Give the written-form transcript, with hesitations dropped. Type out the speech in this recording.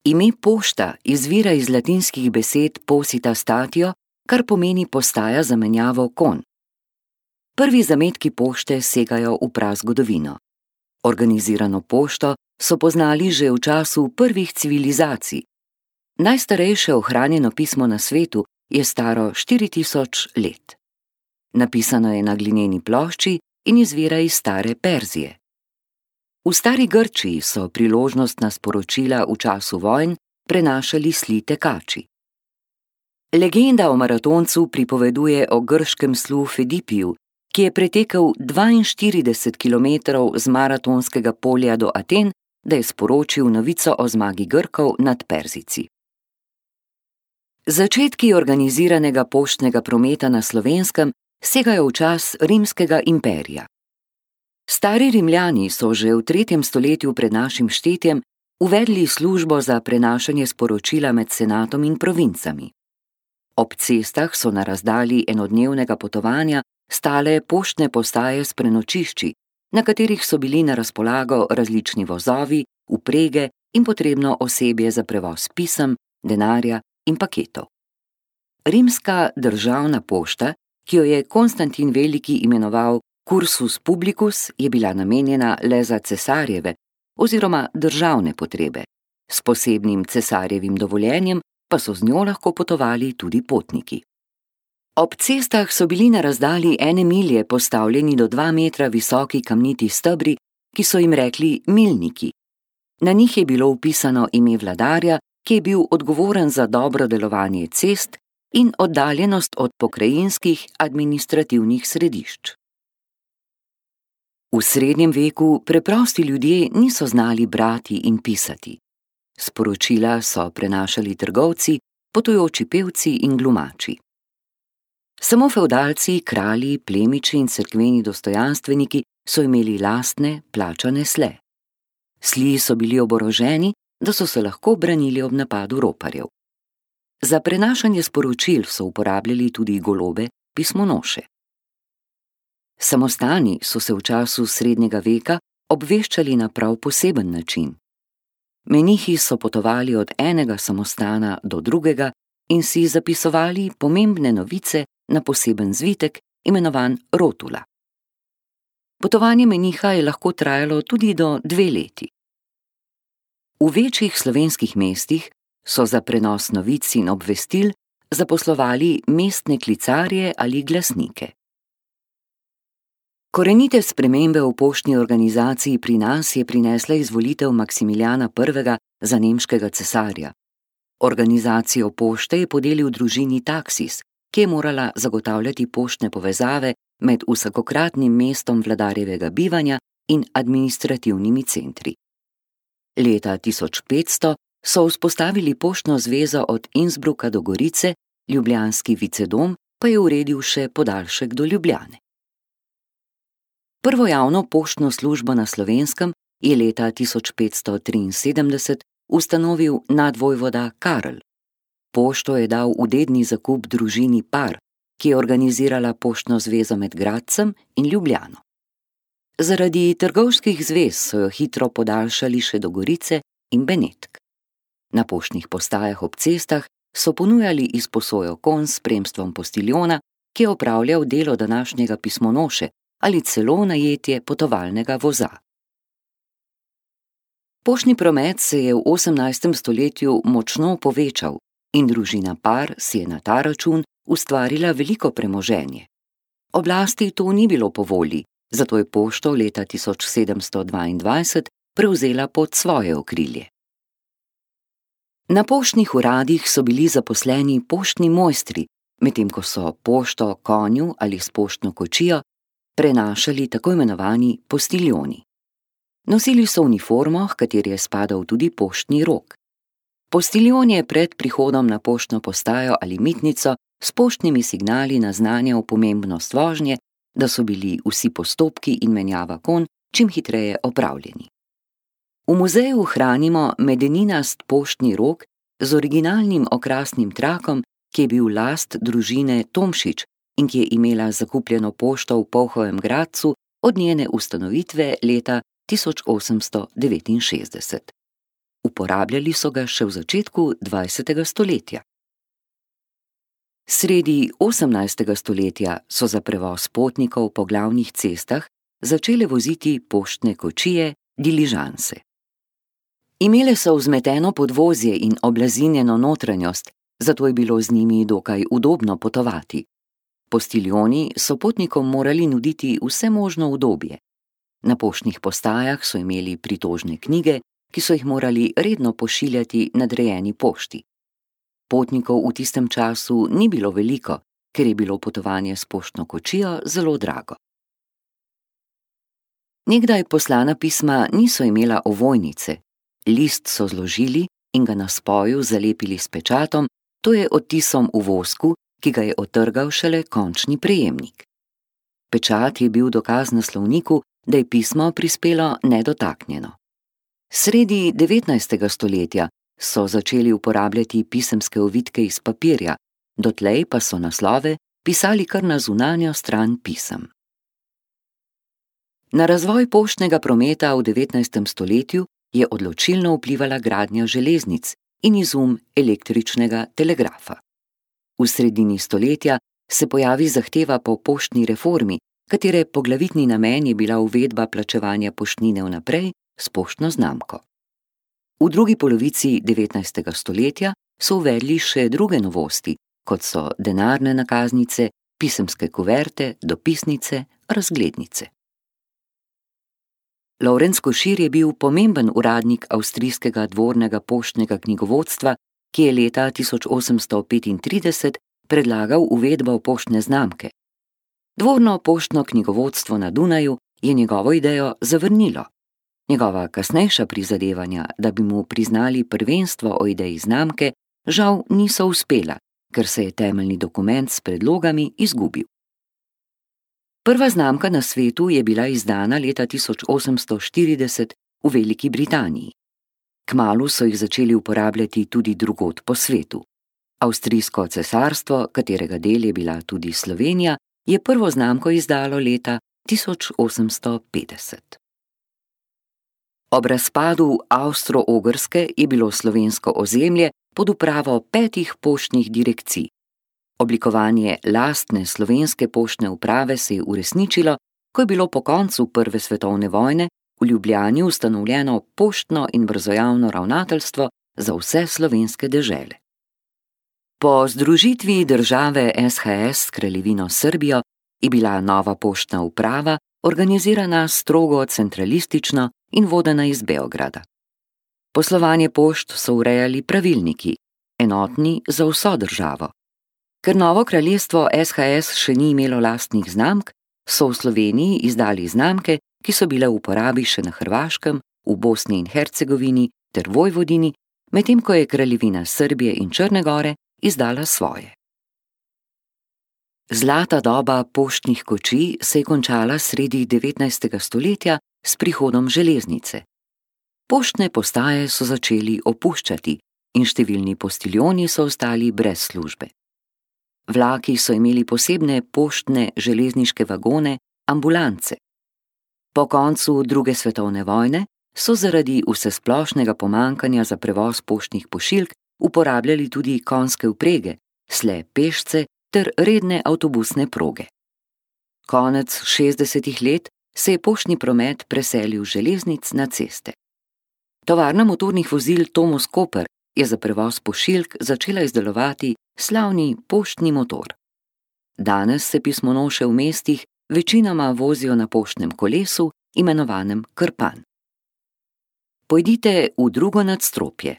Ime pošta izvira iz latinskih besed posita statio, kar pomeni postaja za menjavo konj. Prvi zametki pošte segajo v prazgodovino. Organizirano pošto so poznali že v času prvih civilizacij. Najstarejše ohranjeno pismo na svetu je staro 4000 let. Napisano je na glineni plošči in izvira iz stare Perzije. V stari Grčiji so priložnostna sporočila v času vojn prenašali sli tekači. Legenda o maratoncu pripoveduje o grškem slu Fedipiju, ki je pretekel 42 kilometrov z maratonskega polja do Aten, da je sporočil novico o zmagi Grkov nad Perzijci. Začetki organiziranega poštnega prometa na Slovenskem segajo v čas Rimskega imperija. Stari Rimljani so že v 3. stoletju pred našim štetjem uvedli službo za prenašanje sporočila med senatom in provincami. Ob cestah so na razdalji enodnevnega potovanja stale poštne postaje s prenočišči, na katerih so bili na razpolago različni vozovi, vprege in potrebno osebje za prevoz pisem, denarja in paketov. Rimska državna pošta, ki jo je Konstantin Veliki imenoval cursus publicus, je bila namenjena le za cesarjeve oziroma državne potrebe. S posebnim cesarjevim dovoljenjem pa so z njo lahko potovali tudi potniki. Ob cestah so bili na razdalji 1 milje postavljeni do 2 metra visoki kamniti stebri, ki so jim rekli milniki. Na njih je bilo vpisano ime vladarja, ki je bil odgovoren za dobro delovanje cest in oddaljenost od pokrajinskih administrativnih središč. V srednjem veku preprosti ljudje niso znali brati in pisati. Sporočila so prenašali trgovci, potujoči pevci in glumači. Samo fevdalci, kralji, plemiči in cerkveni dostojanstveniki so imeli lastne, plačane sle. Sli so bili oboroženi, da so se lahko branili ob napadu roparjev. Za prenašanje sporočil so uporabljali tudi golobe, pismonoše. Samostani so se v času srednjega veka obveščali na prav poseben način. Menihi so potovali od enega samostana do drugega in si zapisovali pomembne novice na poseben zvitek, imenovan rotula. Potovanje meniha je lahko trajalo tudi do 2 leti. V večjih slovenskih mestih so za prenos novic in obvestil zaposlovali mestne klicarje ali glasnike. Korenite spremembe v poštni organizaciji pri nas je prinesla izvolitev Maksimiljana I. za nemškega cesarja. Organizacijo pošte je podelil družini Taksis, ki je morala zagotavljati poštne povezave med vsakokratnim mestom vladarjevega bivanja in administrativnimi centri. Leta 1500 so vzpostavili poštno zvezo od Innsbrucka do Gorice, ljubljanski vicedom pa je uredil še podaljšek do Ljubljane. Prvo javno poštno službo na Slovenskem je leta 1573 ustanovil nadvojvoda Karl. Pošto je dal v dedni zakup družini Par, ki je organizirala poštno zvezo med Gradcem in Ljubljano. Zaradi trgovskih zvez so jo hitro podaljšali še do Gorice in Benetk. Na poštnih postajah ob cestah so ponujali izposojo konj s spremstvom postiljona, ki je opravljal delo današnjega pismonoše, ali celo najetje potovalnega voza. Poštni promet se je v 18. stoletju močno povečal in družina Par si je na ta račun ustvarila veliko premoženje. Oblasti to ni bilo po volji, zato je pošto leta 1722 prevzela pod svoje okrilje. Na poštnih uradih so bili zaposleni poštni mojstri, medtem ko so pošto konju ali s poštno kočijo prenašali tako imenovani postiljoni. Nosili so uniformo, h kateri je spadal tudi poštni rog. Postiljon je pred prihodom na poštno postajo ali mitnico s poštnimi signali naznanjal pomembnost vožnje, da so bili vsi postopki in menjava konj čim hitreje opravljeni. V muzeju hranimo medeninast poštni rog z originalnim okrasnim trakom, ki je bil last družine Tomšič in ki je imela zakupljeno pošto v Polhovem Gradcu od njene ustanovitve leta 1869. Uporabljali so ga še v začetku 20. stoletja. Sredi 18. stoletja so za prevoz potnikov po glavnih cestah začele voziti poštne kočije, diližanse. Imele so vzmeteno podvozje in oblazinjeno notranjost, zato je bilo z njimi dokaj udobno potovati. Postiljoni so potnikom morali nuditi vse možno udobje. Na poštnih postajah so imeli pritožne knjige, ki so jih morali redno pošiljati nadrejeni pošti. Potnikov v tistem času ni bilo veliko, ker je bilo potovanje s poštno kočijo zelo drago. Nekdaj poslana pisma niso imela ovojnice. List so zložili in ga na spoju zalepili s pečatom, to je odtisom v vosku, ki ga je odtrgal šele končni prejemnik. Pečat je bil dokaz naslovniku, da je pismo prispelo nedotaknjeno. Sredi 19. stoletja so začeli uporabljati pisemske ovitke iz papirja, dotlej pa so naslove pisali kar na zunanjo stran pisem. Na razvoj poštnega prometa v 19. stoletju je odločilno vplivala gradnja železnic in izum električnega telegrafa. V sredini stoletja se pojavi zahteva po poštni reformi, katere poglavitni namen je bila uvedba plačevanja poštnine vnaprej s poštno znamko. V drugi polovici 19. stoletja so uvedli še druge novosti, kot so denarne nakaznice, pisemske kuverte, dopisnice, razglednice. Lorenz Košir je bil pomemben uradnik avstrijskega dvornega poštnega knjigovodstva, ki je leta 1835 predlagal uvedbo poštne znamke. Dvorno poštno knjigovodstvo na Dunaju je njegovo idejo zavrnilo. Njegova kasnejša prizadevanja, da bi mu priznali prvenstvo o ideji znamke, žal niso uspela, ker se je temeljni dokument s predlogami izgubil. Prva znamka na svetu je bila izdana leta 1840 v Veliki Britaniji. Kmalu so jih začeli uporabljati tudi drugod po svetu. Avstrijsko cesarstvo, katerega del je bila tudi Slovenija, je prvo znamko izdalo leta 1850. Ob razpadu Avstro-Ogrske je bilo slovensko ozemlje pod upravo 5 poštnih direkcij. Oblikovanje lastne slovenske poštne uprave se je uresničilo, ko je bilo po koncu Prve svetovne vojne v Ljubljani ustanovljeno poštno in brzojavno ravnateljstvo za vse slovenske dežele. Po združitvi države SHS s Kraljevino Srbijo je bila nova poštna uprava organizirana strogo centralistično in vodena iz Beograda. Poslovanje pošt so urejali pravilniki, enotni za vso državo. Ker novo kraljestvo SHS še ni imelo lastnih znamk, so v Sloveniji izdali znamke, ki so bile v uporabi še na Hrvaškem, v Bosni in Hercegovini ter Vojvodini, medtem ko je Kraljevina Srbije in Črne Gore izdala svoje. Zlata doba poštnih kočij se je končala sredi 19. stoletja s prihodom železnice. Poštne postaje so začeli opuščati in številni postiljoni so ostali brez službe. Vlaki so imeli posebne poštne železniške vagone, ambulance. Po koncu druge svetovne vojne so zaradi vsesplošnega pomanjkanja za prevoz poštnih pošiljk uporabljali tudi konjske vprege, sle pešce ter redne avtobusne proge. Konec 60. let se je poštni promet preselil z železnic na ceste. Tovarna motornih vozil Tomos Koper je za prevoz pošiljk začela izdelovati slavni poštni motor. Danes se pismonoše v mestih večinoma vozijo na poštnem kolesu, imenovanem krpan. Pojdite v drugo nadstropje.